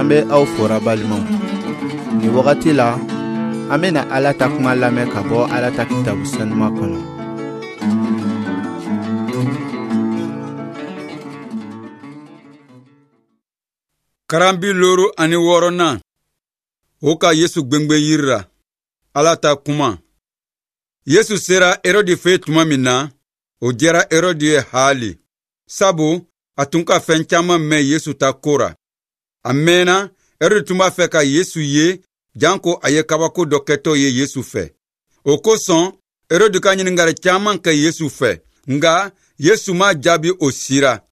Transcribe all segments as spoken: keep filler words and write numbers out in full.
An bɛ aw fora balimaw. Nin wagati la, an bɛna Ala ta kuma lamɛn ka bɔ Ala ta kitabu sanuma kɔnɔ. Karanbi looru ani wɔɔrɔnan, o ka Yesu gwengwen yiri ra. Ala ta kuma. Yesu sera Herodi fɛ tuma min na, o diyara Herodi ye haali, sabu a tun ka fɛn caman mɛn Yesu ta ko ra. A mɛnna, Herodi tun b'a fɛ ka Yesu ye, janko a ye kabako dɔ kɛtɔ ye Yesu fɛ. O kosɔn, Herodi ka ɲininkali caman kɛ Yesu fɛ, nka Yesu ma jaabi o sira.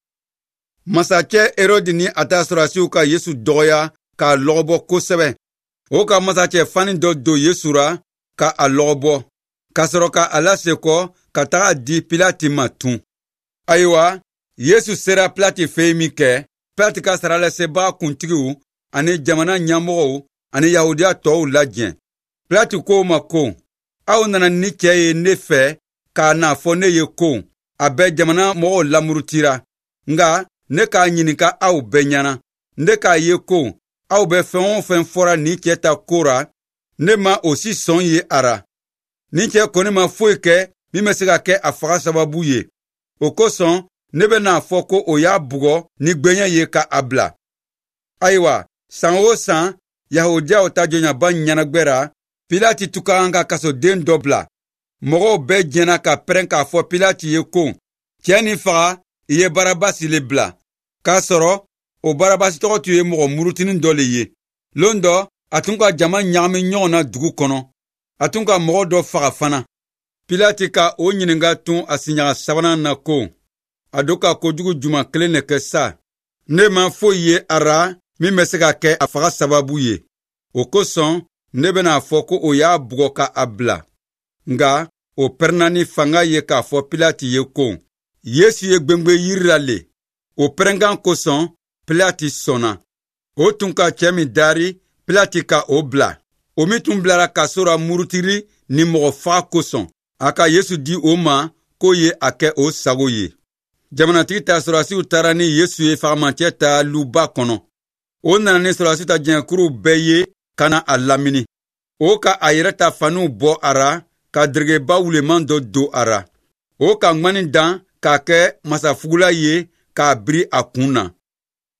Masacɛ Herodi ni a ta sɔrɔdasiw ka Yesu dɔgɔya k'a lɔgɔbɔ kosɛbɛ. O ka masacɛ fani dɔ don Yesu ra ka a lɔgɔbɔ, ka sɔrɔ ka a lasekɔ ka taga di Pilati ma tun. Ayiwa, Yesu sera Pilati fɛ yen min kɛ, Pilati ka saralasebaga kuntigiw ani jamana ɲɛmɔgɔw ani Yahudiya tɔw lajɛ. Pilati ko o ma ko, aw nana ni cɛ ye ne fɛ k'a n'a fɔ ne ye ko a bɛ jamana mɔgɔw lamurutira. Nka ne k'a ɲininka aw bɛɛ ɲɛna, ne k'a ye ko aw bɛ fɛn o fɛn fɔra nin cɛ ta ko ra, ne ma o si sɔn ye a ra. Nin cɛ kɔni ma foyi kɛ min bɛ se ka kɛ a faga sababu ye. O kosɔn, ne bɛ n'a fɔ ko o y'a bugɔ ni gwɛɲɛ ye ka a bila. Ayiwa, san o san, Yahudiyaw ta jɔnyaba ɲɛnagwɛ ra, Pilati tun ka kan ka kasoden dɔ bila. Mɔgɔw bɛɛ jɛnna ka pɛrɛn k'a fɔ Pilati ye ko, cɛ nin faga, i ye Barabasi le bila. K'a sɔrɔ, o Barabasi tɔgɔ tun ye mɔgɔ murutinin dɔ le ye. Lon dɔ, a tun ka jama ɲagami ɲɔgɔn na dugu kɔnɔ. A tun ka mɔgɔ dɔ faga fana. Pilati ka o ɲininka tun a siɲaga sabanan na ko, a don ka kojugu juma kelen de kɛ sa. Ne ma foyi ye a ra min bɛ se ka kɛ a faga sababu ye. O kosɔn, ne bɛna fɔ ko o y'a bugɔ ka a bila. Nka o pɛrɛnna ni fanga ye k'a fɔ Pilati ye ko, Yesu ye gwengwen yiri la le. O pɛrɛnkan kosɔn, Pilati sɔnna. O tun ka cɛ min dari, Pilati ka o bila. O min tun bilara kaso ra murutili ni mɔgɔ faga kosɔn, a ka Yesu di o ma k'o ye a kɛ o sago ye. Jamanatigi ta sɔrɔdasiw taara ni Yesu ye fagamacɛ ta luba kɔnɔ. O nana ni sɔrɔdasi ta jɛnkuru bɛɛ ye ka na a lamini. O ka a yɛrɛ ta faniw bɔ a ra ka deregeba wuleman dɔ don a ra. O ka ŋmani dan k'a kɛ masafugula ye k'a biri a kun na.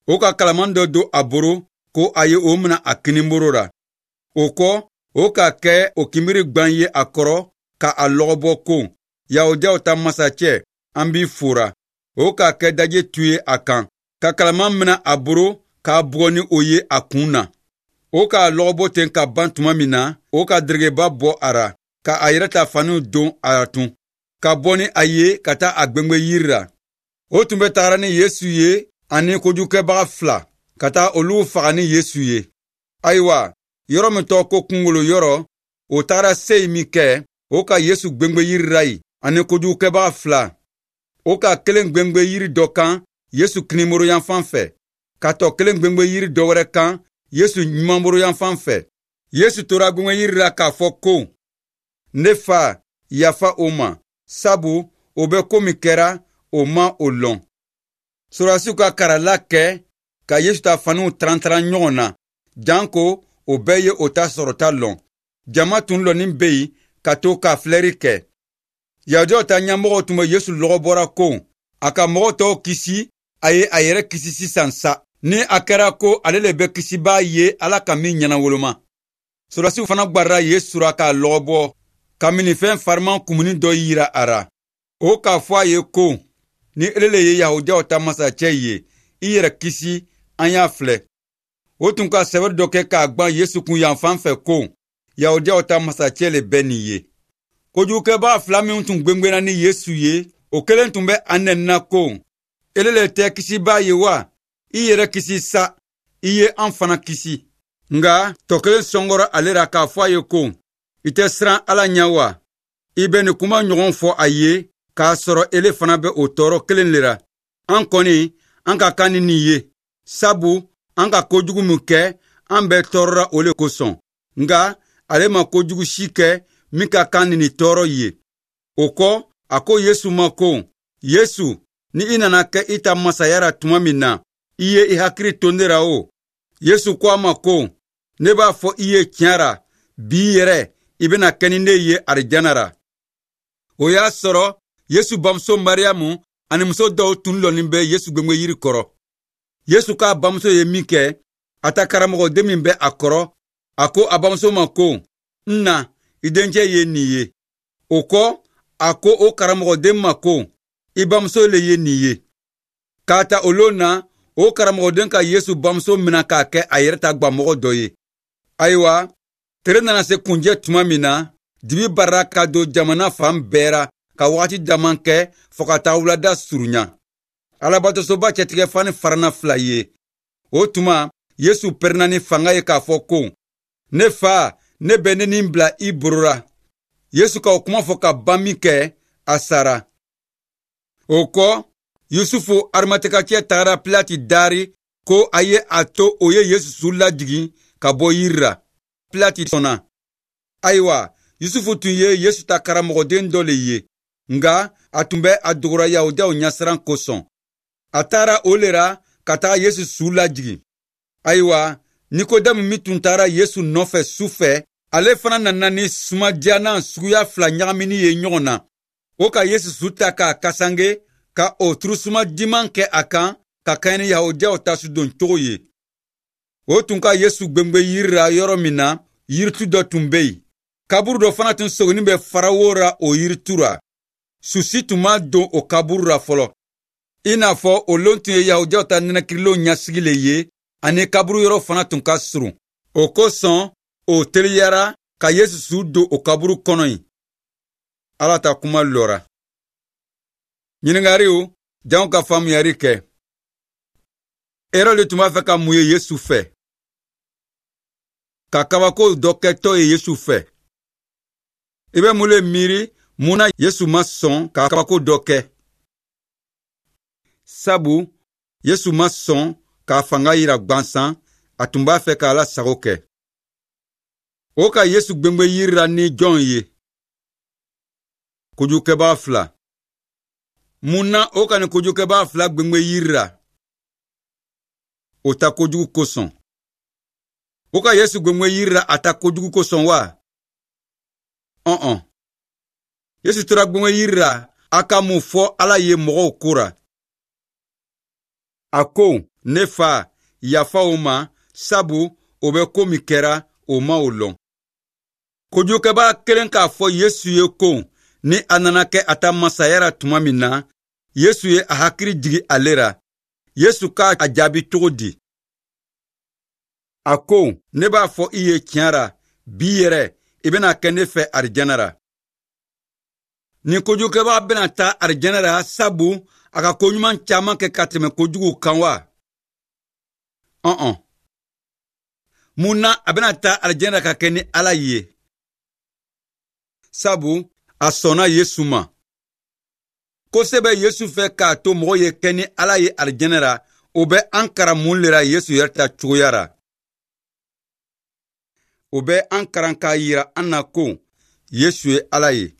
O ka kalaman dɔ don a boro ko a ye o mina a kinibolo ra. O kɔ, o ka kɛ o kinbiri gwan ye a kɔrɔ ka a lɔgɔbɔ ko, Yahudiyaw ta masacɛ, an b'i fora. O ka kɛ daje tu ye a kan, ka kalaman mina a boro k'a bugɔ ni o ye a kun na. O k'a lɔgɔbɔ ten ka ban tuma min na, o ka deregeba bɔ a ra, ka a yɛrɛ ta faniw don a ra tun, ka bɔ ni a ye ka taa a gwengwen yiri ra. O tun bɛ tagara ni Yesu ye ani kojugukɛbaga fila, ka taa olu faga ni Yesu ye. Ayiwa, yɔrɔ min tɔgɔ ko kungolo yɔrɔ, o tagara se yen min kɛ, o ka Yesu gwengwen yiri ra yen ani kojugukɛbaga fila. O ka kelen gwengwen yiri dɔ kan Yesu kinibolo yanfan fɛ, ka tɔ kelen gwengwen yiri dɔ wɛrɛ kan Yesu ɲumanbolo yanfan fɛ. Yesu tora gwengwen yiri la k'a fɔ ko, ne fa, yafa o ma, sabu o bɛ ko min kɛra, o ma o lɔn. Sɔrɔdasiw ka karala kɛ ka Yesu ta faniw tarantaran ɲɔgɔn na, janko o bɛɛ ye o ta sɔrɔta lɔn. Jama tun lɔnin bɛ yen ka to ka filɛri kɛ. Yahudiyaw ta ɲɛmɔgɔw tun bɛ Yesu lɔgɔbɔra ko, a ka mɔgɔ tɔw kisi, a ye a yɛrɛ kisi sisan sa. Ni a kɛra ko ale le bɛ kisibaa ye Ala ka min ɲɛnawoloma. Sɔrɔdasiw fana gwarira Yesu ra k'a lɔgɔbɔ, ka minifɛn fariman kumuni dɔ yira a ra. O k'a fɔ a ye ko, ni ele le ye Yahudiyaw ta masacɛ ye, i yɛrɛ kisi, an y'a filɛ. O tun ka sɛbɛn dɔ kɛ k'a gwan Yesu kun yanfan fɛ ko, Yahudiyaw ta masacɛ le bɛ nin ye. Kojugukɛbaga fila minw tun gwengwenna ni Yesu ye, o kelen tun bɛ a nɛnina ko, ele le tɛ kisibaa ye wa? I yɛrɛ kisi sa, i ye an fana kisi. Nka tɔ kelen sɔngɔra ale ra k'a fɔ a ye ko, i tɛ siran Ala ɲɛ wa? I bɛ nin kuma ɲɔgɔn fɔ a ye k'a sɔrɔ ele fana bɛ o tɔɔrɔ kelen le ra. An kɔni, an ka kan ni nin ye, sabu an ka kojugu min kɛ, an bɛɛ tɔɔrɔra o le kosɔn. Nka ale ma kojugu si kɛ min ka kan ni nin tɔɔrɔ ye. O kɔ, a ko Yesu ma ko, Yesu, ni i nana kɛ i ta masaya ra tuma min na, i ye i hakili to ne ra o. Yesu ko a ma ko, ne b'a fɔ i ye tiɲɛ ra, bi yɛrɛ i bɛna kɛ ni ne ye arijana ra. O y'a sɔrɔ Yesu bamuso Mariyamu ani muso dɔw tun lɔnin bɛ Yesu gwengwenyiri kɔrɔ. Yesu k'a bamuso ye min kɛ, a ta karamɔgɔden min bɛ a kɔrɔ, a ko a bamuso ma ko, n na, i dencɛ ye nin ye. O kɔ, a ko o karamɔgɔden ma ko, i bamuso le ye nin ye. K'a ta o lon na, o karamɔgɔden ka Yesu bamuso mina k'a kɛ a yɛrɛ ta gwamɔgɔ dɔ ye. Ayiwa, tere nana se kunjɛ tuma min na, dibi barara ka don jamana fan bɛɛ ra ka wagati dama kɛ fo ka taa wulada surunya. Alabatosoba cɛtigɛfani farana fila ye. O tuma, Yesu pɛrɛnna ni fanga ye k'a fɔ ko, ne fa, ne bɛ ne ni bila i boro ra. Yesu ka o kuma fɔ ka ban min kɛ, a sara. O kɔ, Yusufu Arimatekacɛ tagara Pilati dari ko a ye a to o ye Yesu su lajigin ka bɔ yiri ra. Pilati sɔnna. Ayiwa, Yusufu tun ye Yesu ta karamɔgɔden dɔ le ye, nka a tun bɛ a dogora Yahudiyaw ɲɛsiran kosɔn. A taara o le ra ka taga Yesu su lajigin. Ayiwa, Nikodɛmu min tun taara Yesu nɔfɛ su fɛ, ale fana nana ni sumadiyanan suguya fila ɲagamini ye ɲɔgɔn na. O ka Yesu su ta k'a kasange, ka o turusuma diman kɛ a kan ka kɛɲɛ ni Yahudiyaw ta sudon cogo ye. O tun ka Yesu gwengwen yiri ra yɔrɔ min na, yiritu dɔ tun bɛ yen. Kaburu dɔ fana tun soginin bɛ farawo ra o yiritu ra. Susi tun ma don o kaburu ra fɔlɔ. I n'a fɔ o lon tun ye Yahudiyaw ta nɛnɛkirilenw ɲɛsigi le ye, ani kaburu yɔrɔ fana tun ka surun. O kosɔn, o teliyara ka Yesu su don o kaburu kɔnɔ yen. Ala ta kuma lɔra. Ɲininkaliw, janw ka faamuyali kɛ. Erɔde tun b'a fɛ ka mun ye Yesu fɛ? Ka kabako dɔ kɛtɔ ye Yesu fɛ. I bɛ mun le miiri mun na Yesu ma sɔn ka kabako dɔ kɛ? Sabu Yesu ma sɔn k'a fanga yira gwansan, a tun b'a fɛ k'Ala sago kɛ. O ka Yesu gwengwen yiri ra ni jɔn ye? Kojugukɛbaa fila. Mun na o ka nin kojugukɛbaa fila gwengwen yiri ra? O ta kojugu kosɔn. O ka Yesu gwengwen yiri ra a ta kojugu kosɔn wa? Ɔn-ɔn. Yesu tora gwengwen yiri ra a ka mun fɔ Ala ye mɔgɔw ko ra? A ko, ne fa, yafa o ma, sabu o bɛ ko min kɛra, o ma o lɔn. Kojugukɛbaa kelen k'a fɔ Yesu ye ko, ni a nana kɛ a ta masaya ra tuma min na, Yesu ye a hakili jigi ale ra. Yesu k'a a jaabi cogo di? A ko, ne b'a fɔ i ye tiɲɛ ra, bi yɛrɛ, i bɛna kɛ ne fɛ arijana ra. Nin kojugukɛbaa bɛna taa arijana ra sabu a ka koɲuman caman kɛ ka tɛmɛ kojuguw kan wa? Ɔn-ɔn. Mun na a bɛna taa arijana ra ka kɛ ni Ala ye? Sabu a sɔnna Yesu ma. Ko se bɛ Yesu fɛ k'a to mɔgɔ ye kɛ ni Ala ye arijana ra, o bɛ an karan mun le ra Yesu yɛrɛ ta cogoya ra? O bɛ an karan k'a yira an na ko Yesu ye Ala ye.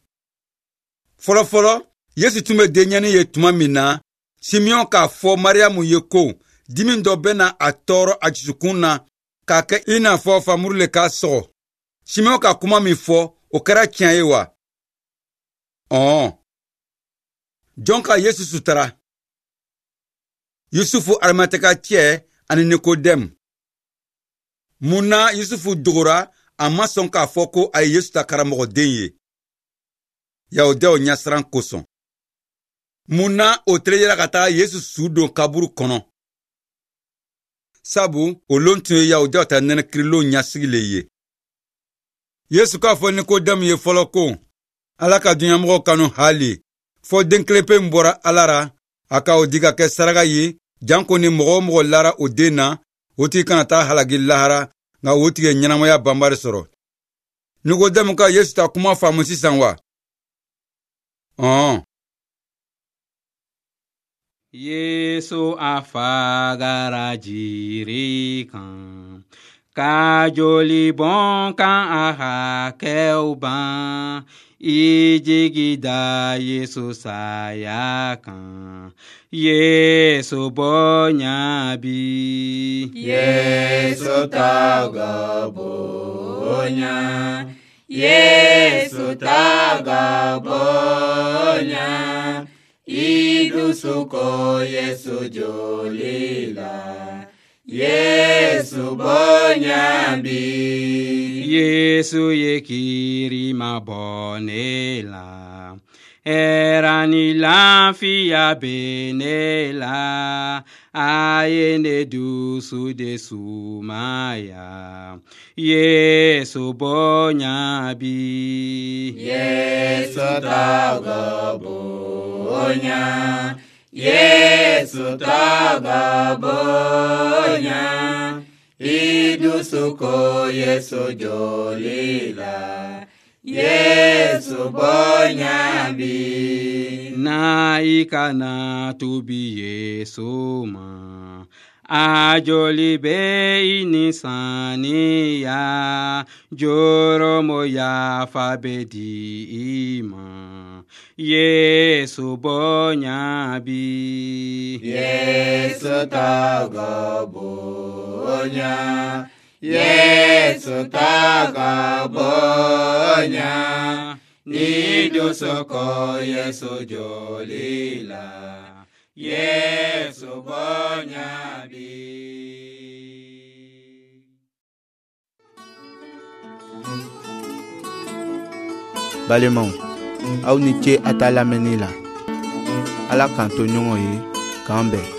Fɔlɔfɔlɔ, Yesu tun bɛ denyɛnin ye tuma min na, Simeɔn k'a fɔ Mariyamu ye ko dimi dɔ bɛna a tɔɔrɔ a dusukun na k'a kɛ i n'a fɔ famuru le k'a sɔgɔ. Simeɔn ka kuma min fɔ, o kɛra tiɲɛ ye wa? Ɔn. Jɔn ka Yesu sutara? Yusufu Arimatekacɛ ani Nikodɛmu. Mun na Yusufu dogora a ma sɔn k'a fɔ ko a ye Yesu ta karamɔgɔden ye? Yahudiyaw ɲɛsiran kosɔn. Mun na o teliyara ka taa Yesu su don kaburu kɔnɔ? Sabu o lon tun ye Yahudiyaw ta nɛnɛkirilenw ɲɛsigi le ye. Yesu k'a fɔ Nikodɛmu ye fɔlɔ ko, Ala ka duɲamɔgɔw kanu hali, fɔ den kelen pe min bɔra Ala ra, a ka o di ka kɛ saraka ye, janko ni mɔgɔ o mɔgɔ lara o den na, o tigi kana taa halaki lahara, nka o tigi ye ɲɛnamaya banbali sɔrɔ. Nikodɛmu ka Yesu ta kuma faamu sisan wa? Ɔn. Yesu a fagara jiri kan, ka joli bɔn kan a hakɛw ban. I jigi da Yesu saya kan. Yesu bonya bi. Yesu tɔgɔ bonya. Yesu tɔgɔ bonya. I dusu ko Yesu joli la. Yesu bonya bi. Yesu ye kiri ma bɔ ne la. Hɛrɛ ni lafiya bɛ ne la. A ye ne dusu de sumaya. Yesu bonya bi. Yesu tɔgɔ bonya. Yesu tɔgɔ bonya. I dusu ko Yesu joli la. Yesu bonya bi. Na i kana tubi Yesu ma. A joli bɛ i ni saniya. Joromo yafa bɛ di i ma. Yesu bonya bi. Yesu tɔgɔ bonya. Yesu tɔgɔ bonya. Ni dusu ko Yesu joli la. Yesu bonya bi. Balimaw, aw ni ce a ta lamɛnni la. Ala k'an to ɲɔgɔn ye, k'an bɛn.